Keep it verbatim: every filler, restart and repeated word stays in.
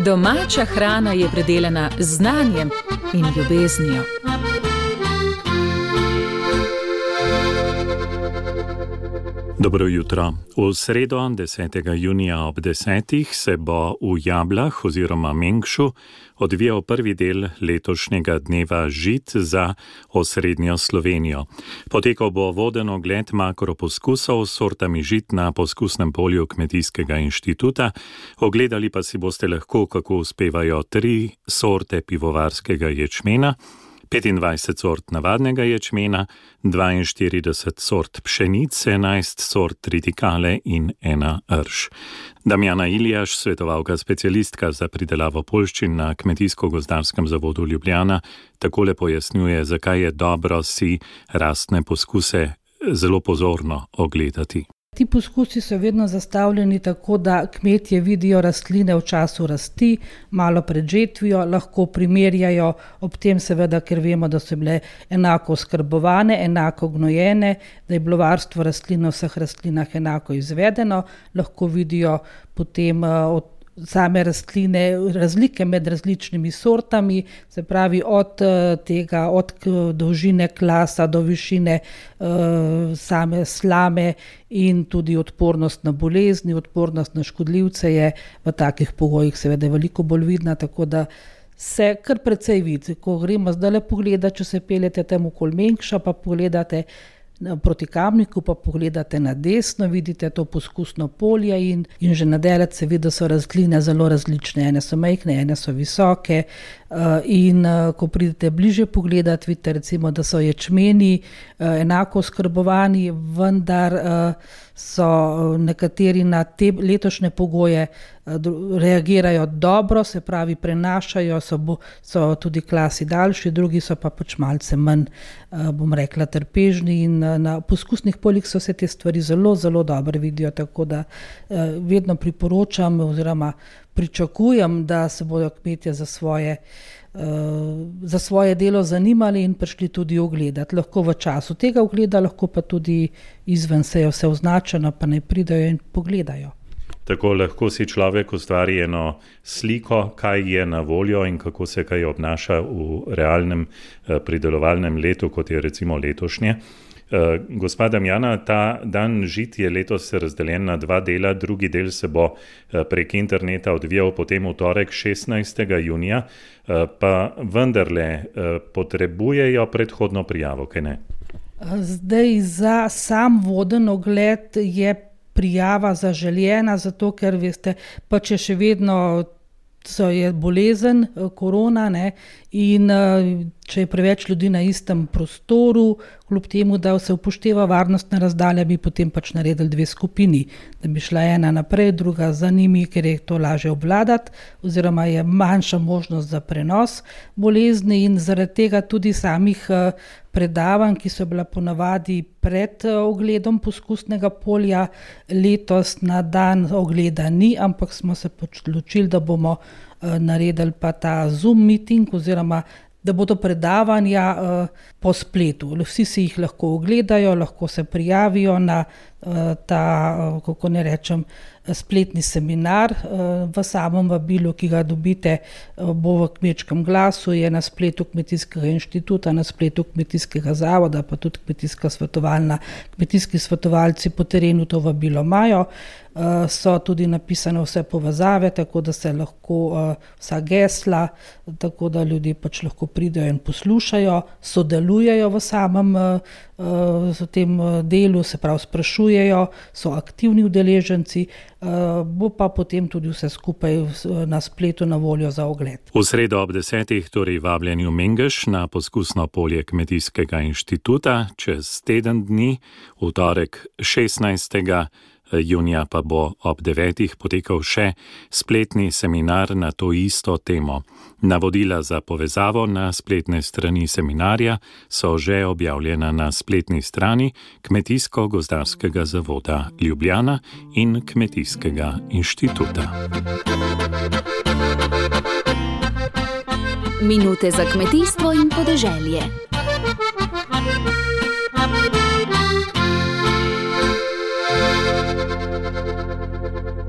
Domača hrana je predelana z znanjem in ljubeznijo. Dobro jutro. V sredo, desetega junija ob desetih, se bo v Jablah oziroma Mengšu odvijal prvi del letošnjega dneva žit za osrednjo Slovenijo. Potekal bo voden ogled makroposkusov s sortami žit na poskusnem polju Kmetijskega inštituta. Ogledali pa si boste lahko, kako uspevajo tri sorte pivovarskega ječmena, petindvajset sort navadnega ječmena, dvainštirideset sort pšenic, enajst sort tritikale in ena rž. Damjana Iljaš, svetovalka specialistka za pridelavo poljščin na Kmetijsko-gozdarskem zavodu Ljubljana, takole pojasnjuje, zakaj je dobro si rastne poskuse zelo pozorno ogledati. Ti poskusi so vedno zastavljeni tako, da kmetje vidijo rastline v času rasti, malo pred žetvijo, lahko primerjajo, ob tem seveda, ker vemo, da so bile enako oskrbovane, enako gnojene, da je bilo varstvo rastlin na vseh rastlinah enako izvedeno, lahko vidijo potem od same rastline, razlike med različnimi sortami, se pravi od tega, od dolžine klasa do višine uh, same slame in tudi odpornost na bolezni, odpornost na škodljivce je v takih pogojih seveda veliko bolj vidna, tako da se kar precej vidi. Ko gremo zdaj le pogledati, če se peljete tam okoli Mengša, pa pogledate proti Kamniku, pa pogledate na desno, vidite to poskusno polje in, in že na daleč se vidi, da so rastline zelo različne. Ene so majhne, ene so visoke uh, in uh, ko pridete bliže pogledati, vidite recimo, da so ječmeni uh, enako oskrbovani, vendar uh, so nekateri na te letošnje pogoje reagirajo dobro, se pravi prenašajo, so, bo, so tudi klasi daljši, drugi so pa pač malce manj, bom rekla, trpežni in na poskusnih poljih so se te stvari zelo, zelo dobro vidijo, tako da vedno priporočam oziroma pričakujem, da se bodo kmetje za svoje za svoje delo zanimali in prišli tudi ogledati. Lahko v času tega ogleda, lahko pa tudi izven, se je vse označeno, pa ne pridajo in pogledajo. Tako lahko si človek ustvari eno sliko, kaj je na voljo in kako se kaj obnaša v realnem pridelovalnem letu, kot je recimo letošnje. Gospa Damjana, ta dan žit je letos razdeljen na dva dela, drugi del se bo prek interneta odvijal potem v torek šestnajstega junija, pa vendarle potrebujejo predhodno prijavo, kaj ne? Zdaj za sam voden ogled je prijava zaželjena, zato ker veste, pa če še vedno so je bolezen, korona, ne, in če je preveč ljudi na istem prostoru, kljub temu, da se upošteva varnostna razdalja, bi potem pač naredili dve skupini, da bi šla ena naprej, druga za njimi, ker je to lažje obvladati, oziroma je manjša možnost za prenos bolezni in zaradi tega tudi samih predavanj, ki so bila ponavadi pred ogledom poskusnega polja, letos na dan ogleda ni, ampak smo se pač odločili, da bomo naredili pa ta Zoom meeting oziroma da bodo predavanja uh, po spletu. Vsi si jih lahko ogledajo, lahko se prijavijo na uh, ta, uh, kako ne rečem, spletni seminar. Uh, v samem vabilu, ki ga dobite, uh, bo v Kmečkem glasu, je na spletu Kmetijskega inštituta, na spletu Kmetijskega zavoda, pa tudi kmetijska svetovalna, kmetijski svetovalci po terenu to vabilo imajo. Uh, so tudi napisane vse povezave, tako da se lahko uh, vsa gesla, tako da ljudje pač lahko pridejo in poslušajo, sodelujejo v samem uh, v tem delu, se pravi sprašujejo, so aktivni udeleženci, uh, bo pa potem tudi vse skupaj na spletu na voljo za ogled. V sredo ob desetih, torej vabljeni v Mengeš na poskusno polje Kmetijskega inštituta, čez teden dni, v torek šestnajstega junija pa bo ob devetih potekal še spletni seminar na to isto temo. Navodila za povezavo na spletne strani seminarja so že objavljena na spletni strani Kmetijsko-gozdarskega zavoda Ljubljana in Kmetijskega inštituta. Minute za kmetijstvo in podeželje. Thank you.